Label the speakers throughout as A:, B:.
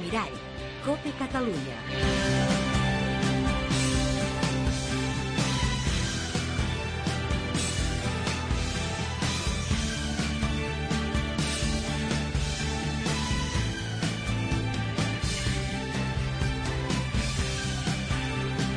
A: Mirall, COPE Catalunya.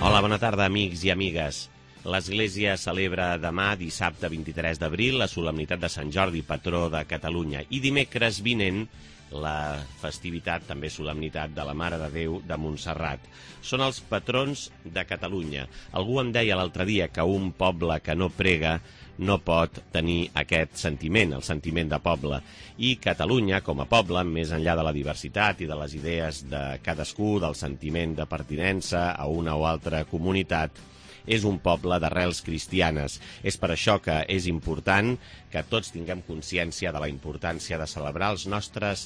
B: Hola, bona tarda, amics i amigues. L'Església celebra demà, dissabte 23 d'abril, la solemnitat de Sant Jordi, patró de Catalunya. I dimecres vinent, la festivitat, també solemnitat, de la Mare de Déu de Montserrat. Són els patrons de Catalunya. Algú em deia l'altre dia que un poble que no prega no pot tenir aquest sentiment, el sentiment de poble. I Catalunya, com a poble, més enllà de la diversitat i de les idees de cadascú, del sentiment de pertinença a una o altra comunitat, és un poble d'arrels cristianes. És per això que és important que tots tinguem consciència de la importància de celebrar els nostres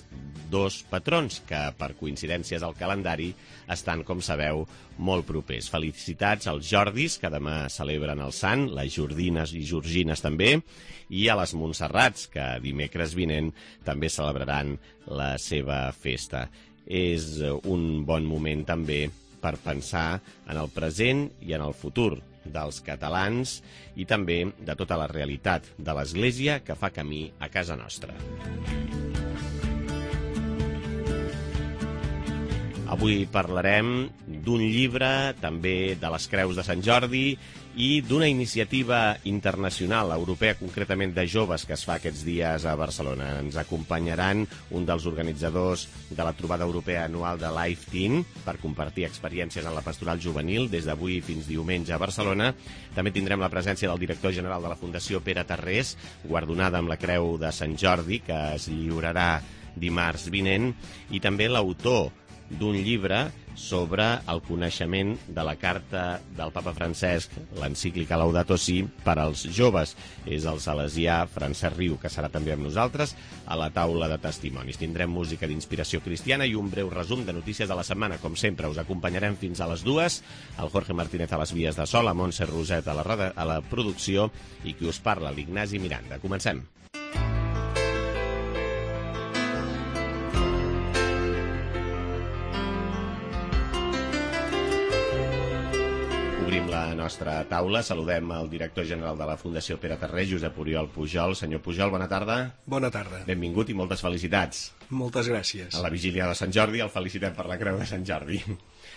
B: dos patrons, que per coincidències al calendari estan, com sabeu, molt propers. Felicitats als Jordis, que demà celebren el sant, les Jordines i Georgines també, i a les Montserrats, que dimecres vinent també celebraran la seva festa. És un bon moment també per pensar en el present i en el futur dels catalans i també de tota la realitat de l'Església que fa camí a casa nostra. Avui parlarem d'un llibre, també de les Creus de Sant Jordi, i d'una iniciativa internacional, europea, concretament de joves, que es fa aquests dies a Barcelona. Ens acompanyaran un dels organitzadors de la trobada europea anual de Life Teen per compartir experiències en la pastoral juvenil des d'avui fins diumenge a Barcelona. També tindrem la presència del director general de la Fundació Pere Tarrés, guardonada amb la Creu de Sant Jordi, que es lliurarà dimarts vinent, i també l'autor d'un llibre sobre el coneixement de la carta del papa Francesc, l'encíclica Laudato Si, per als joves. És el salesià Francesc Riu, que serà també amb nosaltres a la taula de testimonis. Tindrem música d'inspiració cristiana i un breu resum de notícies de la setmana. Com sempre, us acompanyarem fins a les 2, el Jorge Martínez a les vies de so, la Montse Roset a la producció i qui us parla, l'Ignasi Miranda. Comencem. Obrim la nostra taula. Saludem el director general de la Fundació Pere Tarrés, Josep Oriol Pujol. Senyor Pujol, bona tarda.
C: Bona tarda.
B: Benvingut i moltes felicitats.
C: Moltes gràcies.
B: A la vigília de Sant Jordi el felicitem per la Creu de Sant Jordi.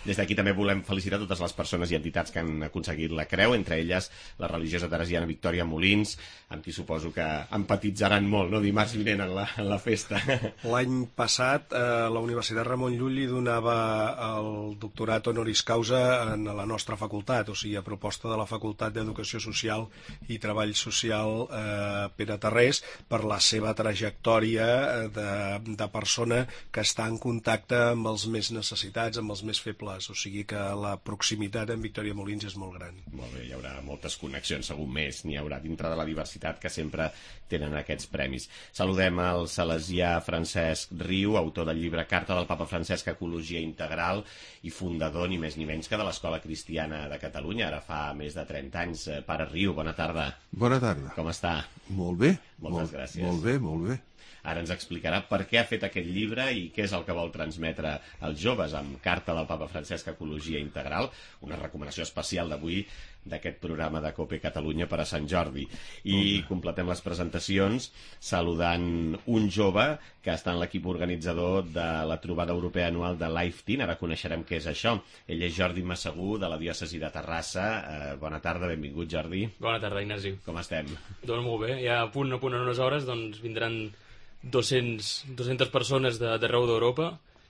B: Des d'aquí també volem felicitar totes les persones i entitats que han aconseguit la creu, entre elles la religiosa teresiana Victòria Molins, amb qui suposo que empatitzaran molt, no?, dimarts vinent en la festa.
C: L'any passat la Universitat Ramon Llull li donava el doctorat honoris causa en la nostra facultat, o sigui, a proposta de la Facultat d'Educació Social i Treball Social Pere Tarrés, per la seva trajectòria de persona que està en contacte amb els més necessitats, amb els més febles. O sigui que la proximitat amb Victòria Molins és molt gran.
B: Molt bé, hi haurà moltes connexions, segur més n'hi haurà dintre de la diversitat que sempre tenen aquests premis. Saludem el salesià Francesc Riu, autor del llibre Carta del papa Francesc, Ecologia Integral, i fundador ni més ni menys que de l'Escola Cristiana de Catalunya, ara fa més de 30 anys. Pare Riu, bona tarda.
D: Bona tarda.
B: Com està?
D: Molt bé.
B: Moltes gràcies.
D: Molt bé, molt bé.
B: Ara ens explicarà per què ha fet aquest llibre i què és el que vol transmetre als joves amb Carta del papa Francesc, Ecologia Integral, una recomanació especial d'avui d'aquest programa de COPE Catalunya per a Sant Jordi. I completem les presentacions saludant un jove que està en l'equip organitzador de la trobada europea anual de Life Teen. Ara coneixerem què és això. Ell és Jordi Massagú, de la diòcesi de Terrassa. Bona tarda, benvingut, Jordi.
E: Bona tarda, Ignasi.
B: Com estem?
E: Doncs molt bé, ja a punt en unes hores doncs vindran 200 persones d'arreu d'Europa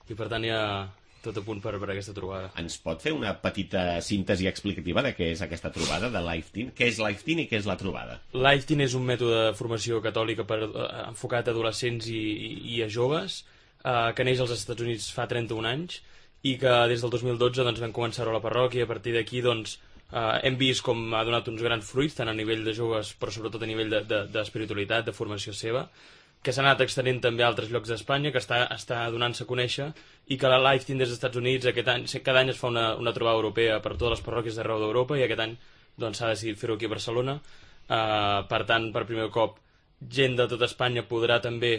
E: i per tant ja tot a punt per aquesta trobada.
B: Ens pot fer una petita síntesi explicativa de què és aquesta trobada de Life Teen? Què és Life Teen i què és la trobada?
E: Life Teen és un mètode de formació catòlica enfocat a adolescents i a joves que neix als Estats Units fa 31 anys i que des del 2012 doncs, vam començar-ho a la parròquia i a partir d'aquí doncs, hem vist com ha donat uns grans fruits tant a nivell de joves però sobretot a nivell d'espiritualitat, de formació seva, que s'ha anat extenent també a altres llocs d'Espanya, que està donant-se a conèixer, i que la Life Teen des dels Estats Units cada any es fa una trobada europea per totes les parròquies d'arreu d'Europa, i aquest any doncs, s'ha decidit fer-ho aquí a Barcelona. Per tant, per primer cop, gent de tota Espanya podrà també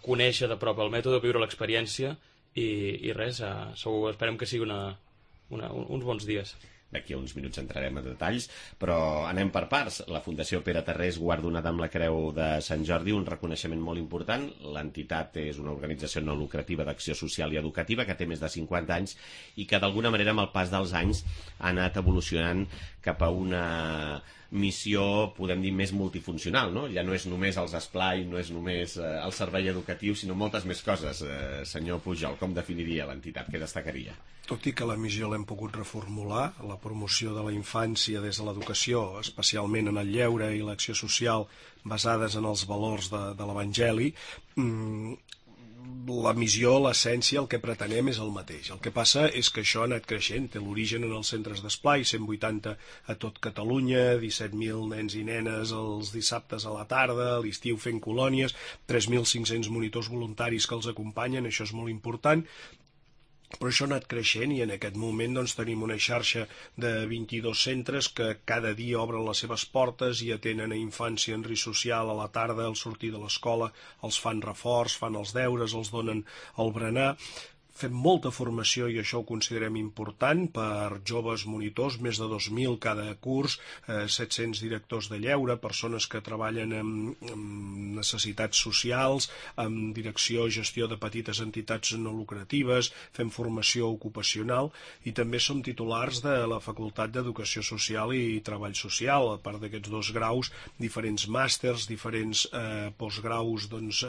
E: conèixer de prop el mètode, viure l'experiència i res, segur, esperem que sigui uns bons dies.
B: D'aquí a uns minuts entrarem a detalls, però anem per parts. La Fundació Pere Tarrés, guardonada amb la Creu de Sant Jordi, un reconeixement molt important. L'entitat és una organització no lucrativa d'acció social i educativa que té més de 50 anys i que d'alguna manera amb el pas dels anys ha anat evolucionant cap a una missió, podem dir, més multifuncional, no? Ja no és només els esplai, no és només el servei educatiu, sinó moltes més coses. Senyor Pujol, com definiria l'entitat? Què destacaria?
C: Tot i que la missió l'hem pogut reformular, la promoció de la infància des de l'educació, especialment en el lleure i l'acció social basades en els valors de l'Evangeli, la missió, l'essència, el que pretenem és el mateix. El que passa és que això ha anat creixent, té l'origen en els centres d'esplai, 180 a tot Catalunya, 17.000 nens i nenes els dissabtes a la tarda, a l'estiu fent colònies, 3.500 monitors voluntaris que els acompanyen, això és molt important. Però això ha anat creixent i en aquest moment doncs, tenim una xarxa de 22 centres que cada dia obren les seves portes i atenen a infància en risc social a la tarda, al sortir de l'escola, els fan reforç, fan els deures, els donen el berenar. Fem molta formació i això ho considerem important per joves monitors, més de 2.000 cada curs, 700 directors de lleure, persones que treballen amb necessitats socials, amb direcció i gestió de petites entitats no lucratives, fem formació ocupacional i també som titulars de la Facultat d'Educació Social i Treball Social, a part d'aquests 2 graus, diferents màsters, diferents postgraus, doncs,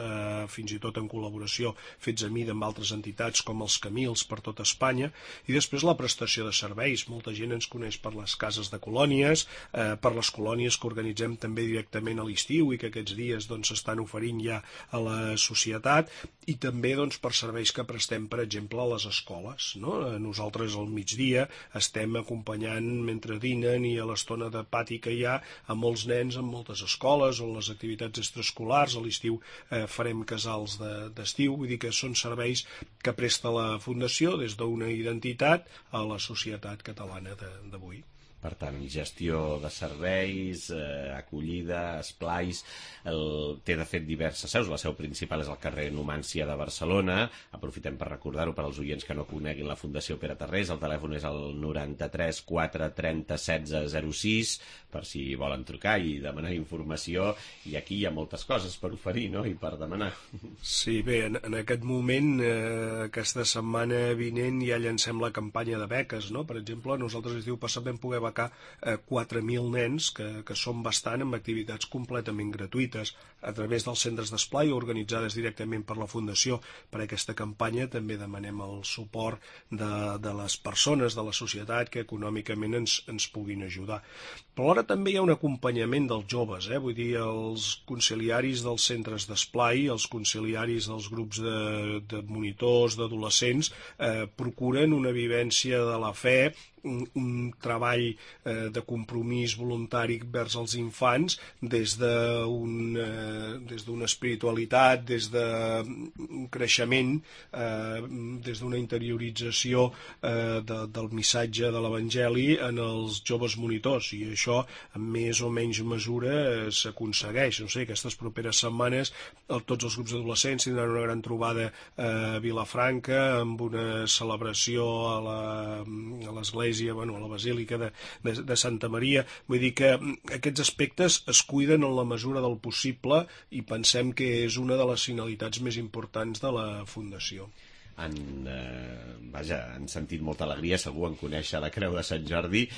C: fins i tot en col·laboració fets a mida amb altres entitats com els Camils per tot Espanya, i després la prestació de serveis. Molta gent ens coneix per les cases de colònies, per les colònies que organitzem també directament a l'estiu i que aquests dies s'estan oferint ja a la societat, i també per serveis que prestem, per exemple, a les escoles. Nosaltres al migdia estem acompanyant mentre dinen i a l'estona de pati que hi ha a molts nens en moltes escoles o en les activitats extraescolars. A l'estiu farem casals d'estiu, vull dir que són serveis que presta la Fundació des d'una identitat a la societat catalana d'avui.
B: Per tant, gestió de serveis, acollida, esplais, té de fet diverses seus. La seu principal és al carrer Numància de Barcelona. Aprofitem per recordar-ho per als oients que no coneguin la Fundació Pere Tarrés. El telèfon és el 93 4 30 16 06, per si volen trucar i demanar informació. I aquí hi ha moltes coses per oferir, no?, i per demanar.
C: Sí, bé, en aquest moment, aquesta setmana vinent ja llancem la campanya de beques, no? Per exemple, nosaltres l'estiu passat vam poder becar 4.000 nens, que són bastant, amb activitats completament gratuïtes a través dels centres d'esplai organitzades directament per la Fundació. Per aquesta campanya també demanem el suport de les persones, de la societat, que econòmicament ens puguin ajudar. Però alhora també hi ha un acompanyament dels joves, vull dir, els conciliaris dels centres d'esplai, els conciliaris dels grups de monitors, d'adolescents, procuren una vivència de la fe, un treball de compromís voluntari vers els infants des d'una espiritualitat, des d'un creixement, des d'una interiorització del missatge de l'Evangeli en els joves monitors, i això en més o menys mesura s'aconsegueix. No sé, aquestes properes setmanes tots els grups d'adolescents tindran una gran trobada a Vilafranca amb una celebració a l'església, a la Basílica de Santa Maria. Vull dir que aquests aspectes es cuiden en la mesura del possible i pensem que és una de les finalitats més importants de la Fundació.
B: Han sentit molta alegria segur en conèixer la Creu de Sant Jordi.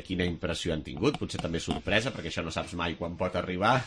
B: Quina impressió han tingut? Potser també sorpresa, perquè això no saps mai quan pot arribar.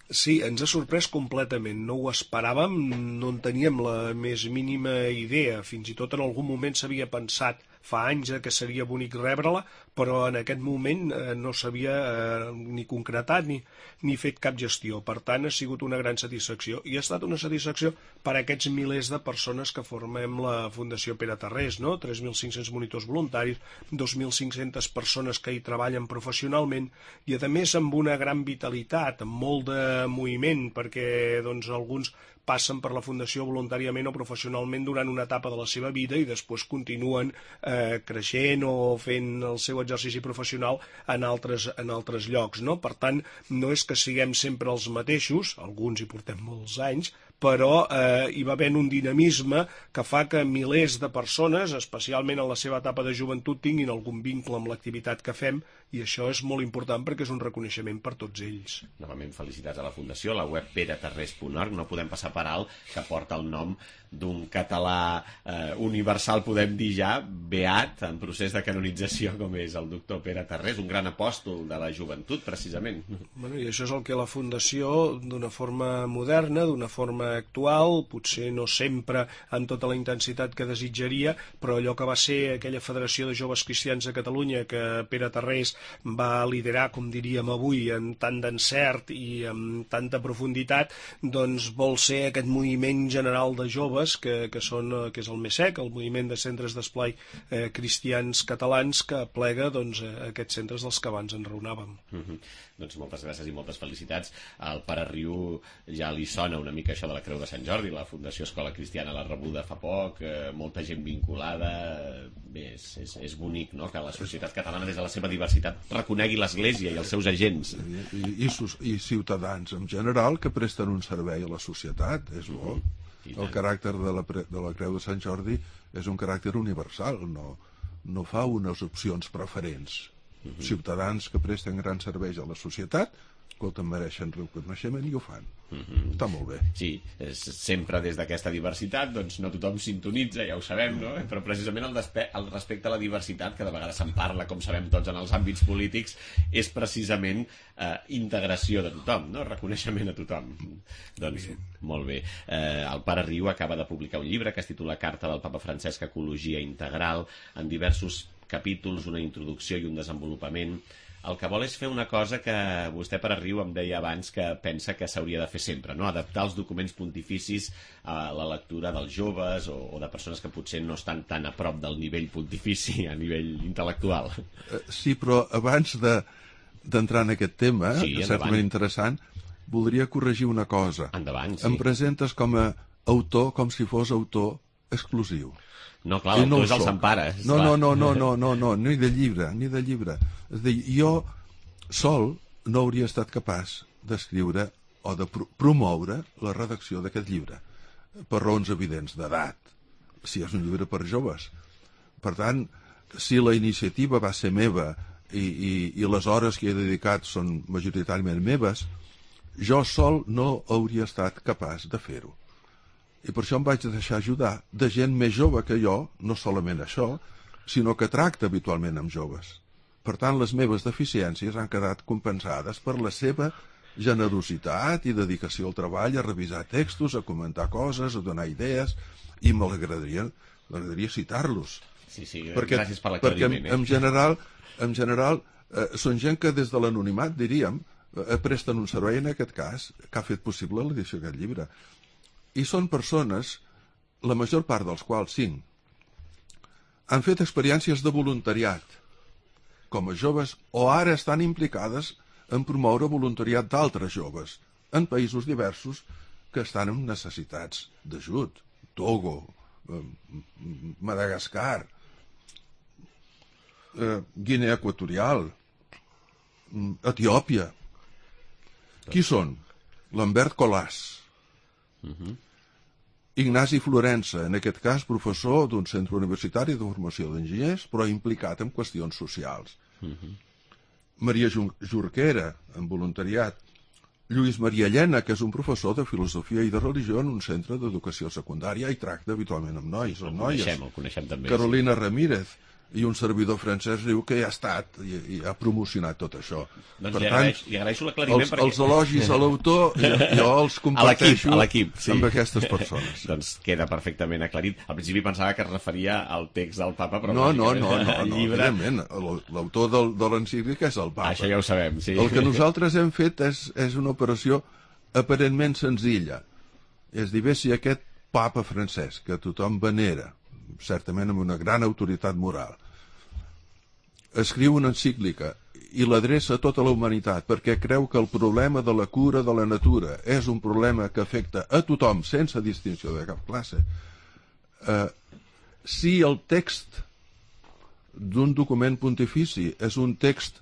C: Sí, ens ha sorprès completament, no ho esperàvem, no en teníem la més mínima idea, fins i tot en algun moment s'havia pensat fa anys que seria bonic rebre-la, però en aquest moment no s'havia ni concretat ni fet cap gestió. Per tant, ha sigut una gran satisfacció, i ha estat una satisfacció per a aquests milers de persones que formem la Fundació Pere Tarrés, no? 3.500 monitors voluntaris, 2.500 persones que hi treballen professionalment, i a més amb una gran vitalitat, amb molt de moviment, perquè alguns passen per la Fundació voluntàriament o professionalment durant una etapa de la seva vida i després continuen creixent o fent el seu exercici professional en altres llocs, no? Per tant, no és que siguem sempre els mateixos, alguns hi portem molts anys, però hi va haver un dinamisme que fa que milers de persones, especialment en la seva etapa de joventut, tinguin algun vincle amb l'activitat que fem, i això és molt important perquè és un reconeixement per tots ells.
B: Novament, felicitats a la Fundació, la web peretarrés.org. No podem passar per alt que porta el nom d'un català universal, podem dir ja, beat, en procés de canonització, com és el doctor Pere Tarrés, un gran apòstol de la joventut, precisament.
C: Bueno, i això és el que la Fundació, d'una forma moderna, d'una forma actual, potser no sempre amb tota la intensitat que desitjaria, però allò que va ser aquella Federació de Joves Cristians de Catalunya que Pere Tarrés va liderar, com diríem avui, amb tant d'encert i amb tanta profunditat, doncs vol ser aquest moviment general de joves que és el MESEC, el Moviment de Centres d'Esplai Cristians Catalans, que aplega aquests centres dels que abans enraonàvem.
B: Doncs moltes gràcies i moltes felicitats. Al Pare Riu ja li sona una mica això de la Creu de Sant Jordi, la Fundació Escola Cristiana l'ha rebuda fa poc, molta gent vinculada. Bé, és bonic, no?, que la societat catalana, des de la seva diversitat, reconegui l'Església i els seus agents.
D: I ciutadans en general que presten un servei a la societat, és bo. El caràcter de la Creu de Sant Jordi és un caràcter universal, no fa unes opcions preferents. Ciutadans que presten grans serveis a la societat, escolta, mereixen reconeixement i ho fan. Està molt bé.
B: Sí, sempre des d'aquesta diversitat, doncs no tothom sintonitza, ja ho sabem, no? Però precisament el respecte a la diversitat, que de vegades se'n parla, com sabem tots en els àmbits polítics, és precisament integració de tothom, no? Reconeixement a tothom. Doncs molt bé. El Pare Riu acaba de publicar un llibre que es titula Carta del Papa Francesc, Ecologia Integral, en diversos capítols, una introducció i un desenvolupament. El que vol és fer una cosa que vostè, Pare Riu, em deia abans que pensa que s'hauria de fer sempre, no? Adaptar els documents pontificis a la lectura dels joves o de persones que potser no estan tan a prop del nivell pontifici, a nivell intel·lectual.
D: Sí, però abans d'entrar en aquest tema,
B: sí,
D: que és certament interessant, voldria corregir una cosa.
B: Endavant, sí.
D: Em presentes com a autor, com si fos autor exclusiu.
B: No, clar, l'autor és el Sant Pare.
D: No, ni de llibre. És a dir, jo sol no hauria estat capaç d'escriure o de promoure la redacció d'aquest llibre, per raons evidents d'edat, si és un llibre per joves. Per tant, si la iniciativa va ser meva i les hores que he dedicat són majoritàriament meves, jo sol no hauria estat capaç de fer-ho. I per això em vaig deixar ajudar de gent més jove que jo, no solament això, sinó que tracta habitualment amb joves. Per tant, les meves deficiències han quedat compensades per la seva generositat i dedicació al treball, a revisar textos, a comentar coses, a donar idees, i m'agradaria citar-los.
B: Sí, gràcies per l'aclariment.
D: Perquè, en general, són gent que des de l'anonimat, diríem, presten un servei, en aquest cas, que ha fet possible l'edició d'aquest llibre. I són persones, la major part dels quals 5, han fet experiències de voluntariat com a joves o ara estan implicades en promoure voluntariat d'altres joves en països diversos que estan en necessitats d'ajut. Togo, Madagascar, Guinea Equatorial, Etiòpia. Qui són? Lambert Colàs, Ignasi Florença, en aquest cas professor d'un centre universitari de formació d'enginyers, però implicat en qüestions socials. Maria Jorquera, en voluntariat. Lluís Maria Llena, que és un professor de filosofia i de religió en un centre d'educació secundària i tracta habitualment amb nois o noies.
B: El coneixem també.
D: Carolina Ramírez, i un servidor Francesc Riu que ja ha estat i ha promocionat tot això.
B: Doncs li agraeixo l'aclariment perquè...
D: Els elogis a l'autor jo els comparteixo
B: a l'equip, sí,
D: amb aquestes persones.
B: Doncs queda perfectament aclarit. Al principi pensava que es referia al text del papa, però...
D: No, evidentment, l'autor de l'encíclica és el papa.
B: Això ja ho sabem, sí.
D: El que nosaltres hem fet és una operació aparentment senzilla. És dir, bé, si aquest papa Francesc, que tothom venera, certament amb una gran autoritat moral, escriu una encíclica i l'adreça a tota la humanitat perquè creu que el problema de la cura de la natura és un problema que afecta a tothom sense distinció de cap classe. Si el text d'un document pontifici és un text,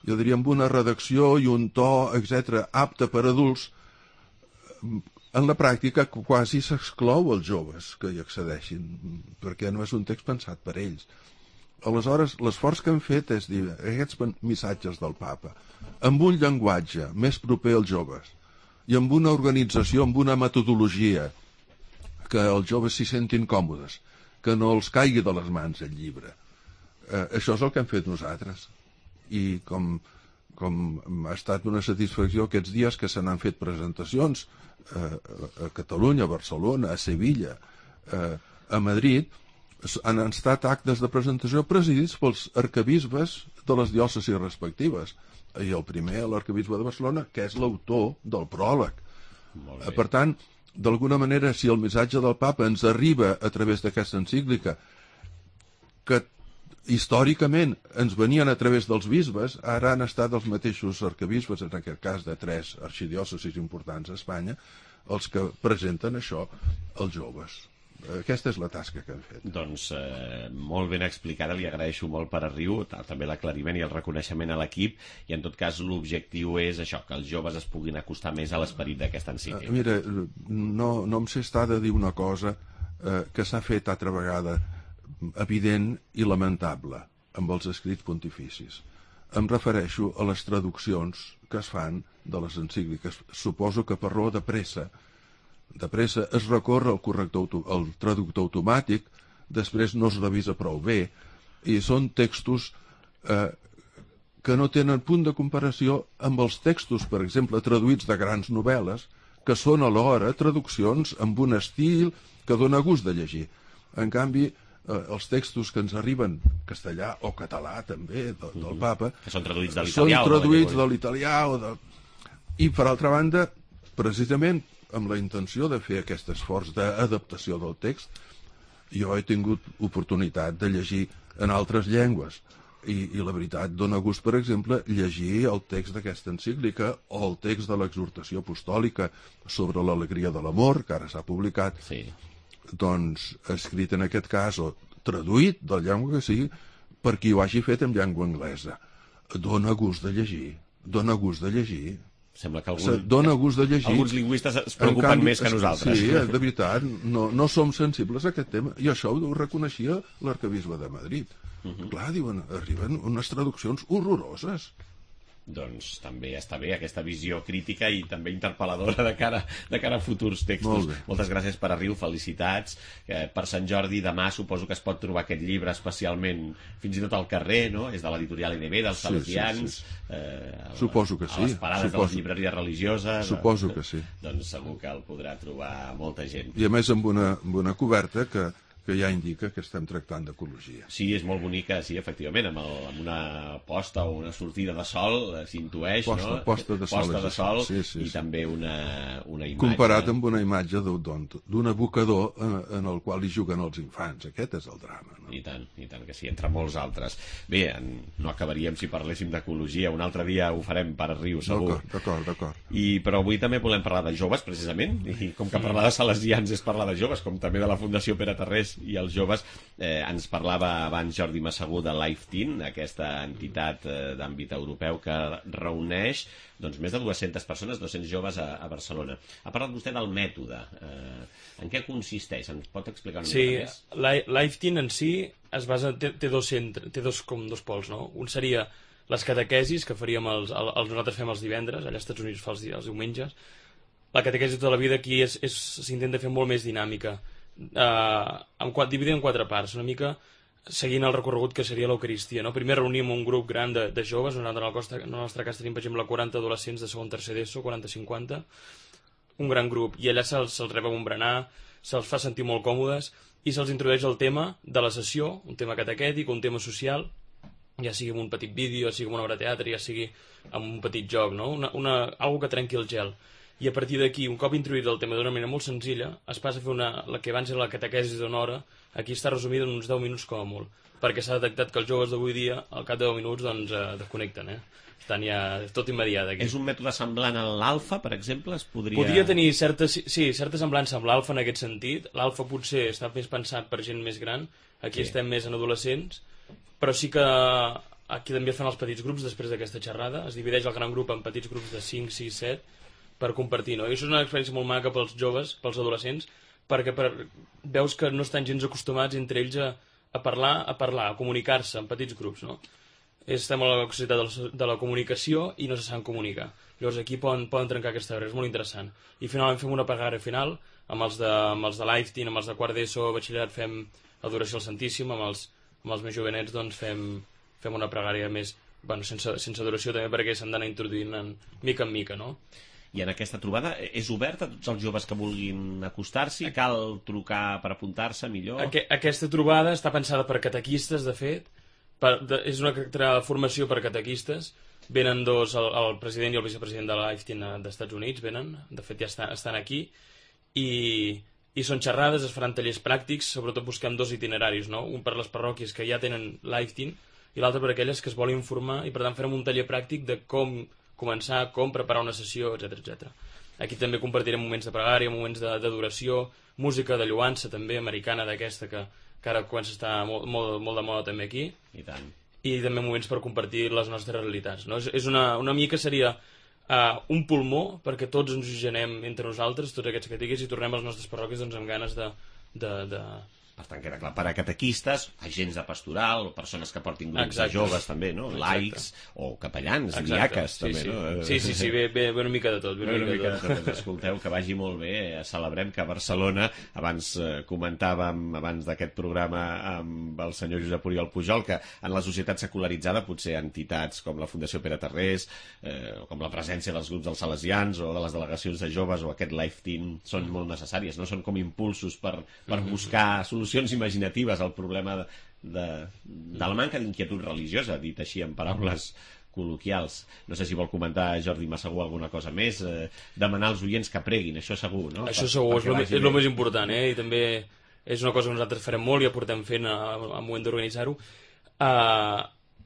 D: jo diria, amb una redacció i un to, etc., apte per adults, en la pràctica quasi s'exclou els joves que hi accedeixin, perquè no és un text pensat per ells. Aleshores, l'esforç que hem fet és dir aquests missatges del papa amb un llenguatge més proper als joves i amb una organització, amb una metodologia que els joves s'hi sentin còmodes, que no els caigui de les mans el llibre. Això és el que hem fet nosaltres. I com ha estat una satisfacció aquests dies que se n'han fet presentacions a Catalunya, a Barcelona, a Sevilla, a Madrid, han estat actes de presentació presidits pels arquebisbes de les diòcesis respectives. I el primer, l'arquebisbe de Barcelona, que és l'autor del pròleg. Per tant, d'alguna manera, si el missatge del papa ens arriba a través d'aquesta encíclica, que històricament ens venien a través dels bisbes, ara han estat els mateixos arquebisbes, en aquest cas de 3 arxidiòcesis importants a Espanya, els que presenten això als joves. Aquesta és la tasca que hem fet.
B: Doncs molt ben explicada, li agraeixo molt per a Riu, també l'aclariment i el reconeixement a l'equip, i en tot cas l'objectiu és això, que els joves es puguin acostar més a l'esperit d'aquesta encíclica.
D: Mira, no em sé estar de dir una cosa que s'ha fet altra vegada evident i lamentable amb els escrits pontificis. Em refereixo a les traduccions que es fan de les encícliques. Suposo que per raó de pressa es recorre al traductor automàtic, després no es revisa prou bé, i són textos que no tenen punt de comparació amb els textos, per exemple, traduïts de grans novel·les, que són alhora traduccions amb un estil que dona gust de llegir. En canvi, els textos que ens arriben castellà o català també del papa
B: que són traduïts de
D: l'italià i per altra banda, precisament amb la intenció de fer aquest esforç d'adaptació del text, jo he tingut oportunitat de llegir en altres llengües i la veritat dona gust, per exemple, llegir el text d'aquesta encíclica o el text de l'exhortació apostòlica sobre l'alegria de l'amor, que ara s'ha publicat, doncs escrit en aquest cas o traduït de la llengua que sigui per qui ho hagi fet en llengua anglesa. Dona gust de llegir.
B: Sembla que
D: dona gust de llegir.
B: Alguns lingüistes es preocupen més que nosaltres.
D: Sí, de veritat, no som sensibles a aquest tema. I això ho reconeixia l'arquebisbe de Madrid. Clar, diuen, arriben unes traduccions horroroses.
B: Doncs també està bé aquesta visió crítica i també interpel·ladora de cara a futurs textos. Moltes gràcies per a Riu, felicitats. Per Sant Jordi demà suposo que es pot trobar aquest llibre especialment fins i tot al carrer, no? És de l'editorial EDB, dels Salesians.
D: Suposo que sí.
B: A les parades de les llibreries religioses.
D: Suposo que sí.
B: Doncs segur que el podrà trobar molta gent.
D: I a més amb una coberta que ja indica que estem tractant d'ecologia.
B: Sí, és molt bonica, sí, efectivament, amb una posta o una sortida de sol, s'intueix, no?
D: Posta de sol,
B: i també una imatge.
D: Comparat amb una imatge d'un abocador en el qual hi juguen els infants. Aquest és el drama, no?
B: I tant que sí, entre molts altres. Bé, no acabaríem si parléssim d'ecologia, un altre dia ho farem per Riu, segur.
D: D'acord.
B: Però avui també volem parlar de joves, precisament, i com que parlar de salesians és parlar de joves, com també de la Fundació Pere Tarrés i els joves, ens parlava abans Jordi Massagú de Life Teen, aquesta entitat d'àmbit europeu que reuneix més de 200 persones, 200 joves a Barcelona. Ha parlat vostè del mètode. En què consisteix? Ens pot explicar una mica més?
E: Sí, Life Teen en si es basa, té dos pols, no? Un seria les catequesis que faríem nosaltres fem els divendres, allà als Estats Units fa els diumenges. La catequesi de tota la vida aquí s'intenta fer molt més dinàmica, dividida en 4 parts, una mica seguint el recorregut que seria l'Eucaristia, no? Primer reunim un grup gran de joves, en el nostre cas tenim per exemple 40 adolescents de segon, tercer d'ESO, 40-50, un gran grup, i allà se'ls rep amb un berenar, se'ls fa sentir molt còmodes i se'ls introdueix el tema de la sessió, un tema catequètic, un tema social, ja sigui amb un petit vídeo, ja sigui amb una obra de teatre, ja sigui amb un petit joc, no? Algo que trenqui el gel. I a partir d'aquí, un cop introduït el tema d'una manera molt senzilla, es passa a fer la que abans era la catequesi d'una hora, aquí està resumida en uns 10 minuts com a molt, perquè s'ha detectat que els joves d'avui dia, al cap de 10 minuts, desconnecten, Estan ja tot immediat aquí.
B: És un mètode semblant a l'alfa, per exemple?
E: Podria tenir certa semblança amb l'alfa en aquest sentit. L'alfa potser està més pensat per gent més gran, aquí estem més en adolescents, però sí que aquí també es fan els petits grups després d'aquesta xerrada, es divideix el gran grup en petits grups de 5, 6, 7, per compartir, no? I això és una experiència molt maca pels joves, pels adolescents, perquè veus que no estan gens acostumats entre ells a parlar, a comunicar-se en petits grups, no? Estem a la societat de la comunicació i no se saben comunicar. Llavors aquí poden trencar aquesta barrera, és molt interessant. I finalment fem una pregària final, amb els de Life Teen, amb els de quart d'ESO, batxillerat, fem adoració al Santíssim, amb els més jovenets doncs fem una pregària més, bueno, sense adoració també perquè s'han d'anar introduint mica en mica, no?
B: I en aquesta trobada és oberta a tots els joves que vulguin acostar-s'hi? Cal trucar per apuntar-se millor?
E: Aquesta trobada està pensada per catequistes, de fet. És una formació per catequistes. Venen dos, el president i el vicepresident de la Life Teen d'Estats Units, venen. De fet, ja estan aquí. I són xerrades, es faran tallers pràctics, sobretot busquem dos itineraris, no? Un per les parròquies que ja tenen Life Teen i l'altre per aquelles que es volen informar i per tant farem un taller pràctic de com començar, com preparar una sessió, etc. Aquí també compartirem moments de pregària, moments d'adoració, música de lloança també, americana d'aquesta, que ara comença a estar molt de moda també aquí.
B: I tant.
E: I també moments per compartir les nostres realitats, no? És una mica seria un pulmó perquè tots ens oxigenem entre nosaltres, tots aquests catequis, i tornem a les nostres parròquies doncs, amb ganes de...
B: Per tant, queda clar, per a catequistes, agents de pastoral, o persones que portin grups de joves també, no? Laics, o capellans, diaques també, no?
E: Sí, ve una mica de tot.
B: Escolteu, que vagi molt bé. Celebrem que a Barcelona, abans comentàvem, abans d'aquest programa amb el senyor Josep Oriol Pujol, que en la societat secularitzada potser entitats com la Fundació Pere Tarrés, com la presència dels grups dels salesians o de les delegacions de joves o aquest Life Teen són molt necessàries, no? Són com impulsos per buscar solucions imaginatives al problema de la manca d'inquietud religiosa, dit així en paraules col·loquials. No sé si vol comentar Jordi Massaguer alguna cosa més, demanar als oients que preguin, això segur, no?
E: Això segur, és el més important, i també és una cosa que nosaltres farem molt i ja portem fent al moment d'organitzar-ho.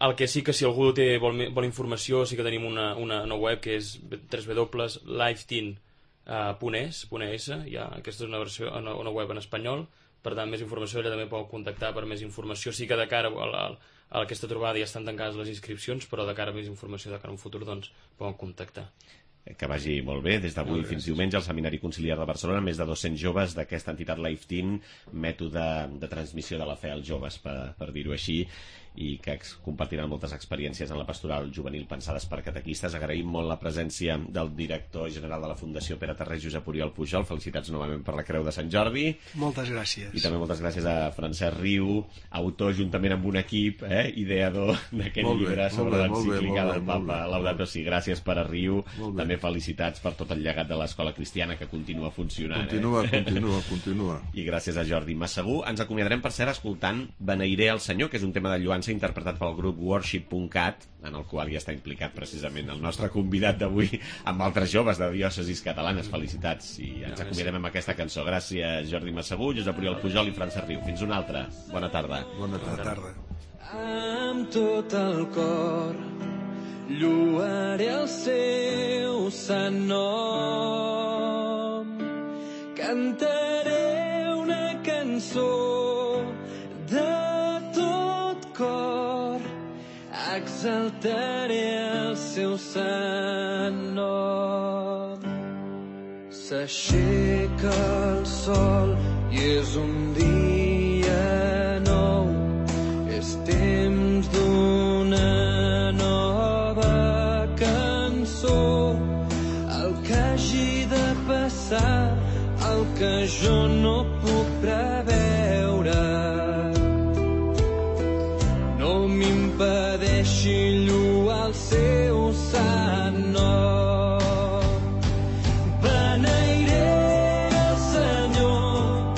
E: El que sí que si algú vol informació, sí que tenim una web que és www.lifeteen.es, aquesta és una web en espanyol. Per tant, més informació, allà també podeu contactar per més informació. Sí que de cara a aquesta trobada ja estan tancades les inscripcions, però de cara a més informació, de cara a un futur, doncs, podeu contactar.
B: Que vagi molt bé. Des d'avui fins diumenge al Seminari Conciliar de Barcelona, més de 200 joves d'aquesta entitat Life Teen, mètode de transmissió de la fe als joves, per dir-ho així, i que compartiran moltes experiències en la pastoral juvenil pensades per catequistes. Agraïm molt la presència del director general de la Fundació Pere Tarrés, Josep Oriol Pujol. Felicitats novament per la Creu de Sant Jordi.
C: Moltes gràcies.
B: I també moltes gràcies a Francesc Riu, autor juntament amb un equip, ideador d'aquest llibre sobre l'encíclica del Papa Laudato Si. Gràcies per a Riu. També felicitats per tot el llegat de l'Escola Cristiana que continua funcionant.
D: Continua.
B: I gràcies a Jordi Massaguer. Ens acomiadarem, per cert, escoltant Beneiré el Senyor, que és un tema de lloança interpretat pel grup Worship.cat, en el qual ja està implicat precisament el nostre convidat d'avui amb altres joves de diòcesis catalanes. Felicitats, i ens acomiadem amb aquesta cançó. Gràcies Jordi Massaguer, Josep Oriol Pujol i Francesc Riu. Fins una altra. Bona tarda.
D: Bona tarda.
F: Amb tot el cor lloaré el seu sant nom, cantaré una cançó de tot cor, exaltaré el seu sant nom. S'aixeca el sol i és un dia nou, és temps d'una nova cançó. El que hagi de passar, el que jo no puc preveure, no m'impedeixi lloar el seu sant nom. Beneiré el Senyor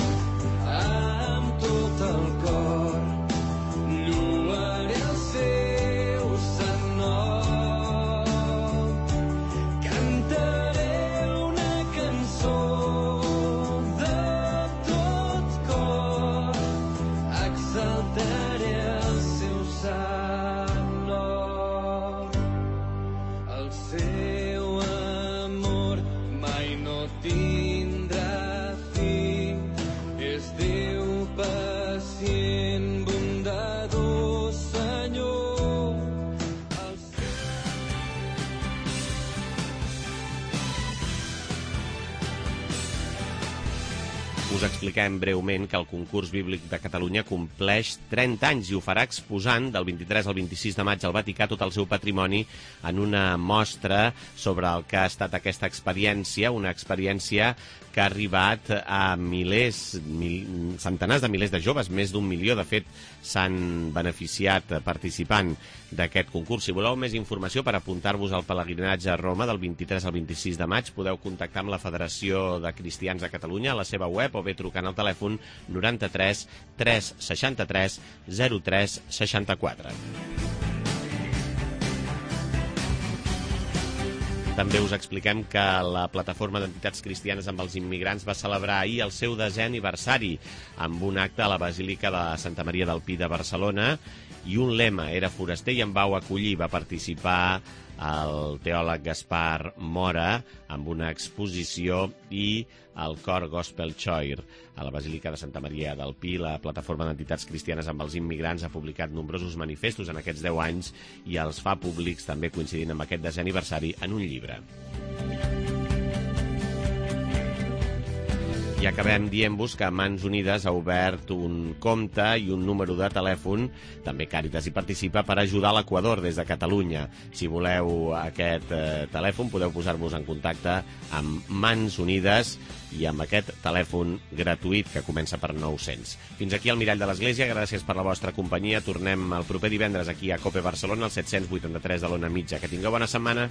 F: amb tot el cor, lloaré el seu sant nom, cantaré una cançó de tot cor, exaltaré el seu sant nom. El seu amor mai no tindrà fi, és Déu pacient, bondadós Senyor.
B: Us expliquem breument que el concurs bíblic de Catalunya compleix 30 anys i ho farà exposant del 23 al 26 de maig al Vaticà tot el seu patrimoni en una mostra sobre el que ha estat aquesta experiència, una experiència que ha arribat a centenars de milers de joves, més d'1 milió, de fet, s'han beneficiat participant d'aquest concurs. Si voleu més informació per apuntar-vos al pelegrinatge a Roma del 23 al 26 de maig, podeu contactar amb la Federació de Cristians de Catalunya a la seva web o bé trucant al telèfon 93 363 03 64. També us expliquem que la Plataforma d'Entitats Cristianes amb els Immigrants va celebrar ahir el seu 10è aniversari amb un acte a la Basílica de Santa Maria del Pi de Barcelona i un lema, era foraster i em vau acollir. Va participar el teòleg Gaspar Mora amb una exposició i el cor Gospel Choir. A la Basílica de Santa Maria del Pi, la Plataforma d'Entitats Cristianes amb els Immigrants ha publicat nombrosos manifestos en aquests 10 anys i els fa públics, també coincidint amb aquest 10è aniversari, en un llibre. I acabem dient-vos que Mans Unides ha obert un compte i un número de telèfon, també Càritas hi participa, per ajudar l'Equador des de Catalunya. Si voleu aquest telèfon, podeu posar-vos en contacte amb Mans Unides i amb aquest telèfon gratuït que comença per 900. Fins aquí el Mirall de l'Església, gràcies per la vostra companyia. Tornem el proper divendres aquí a COPE Barcelona, al 783 de l'Ona Mitja. Que tingueu bona setmana.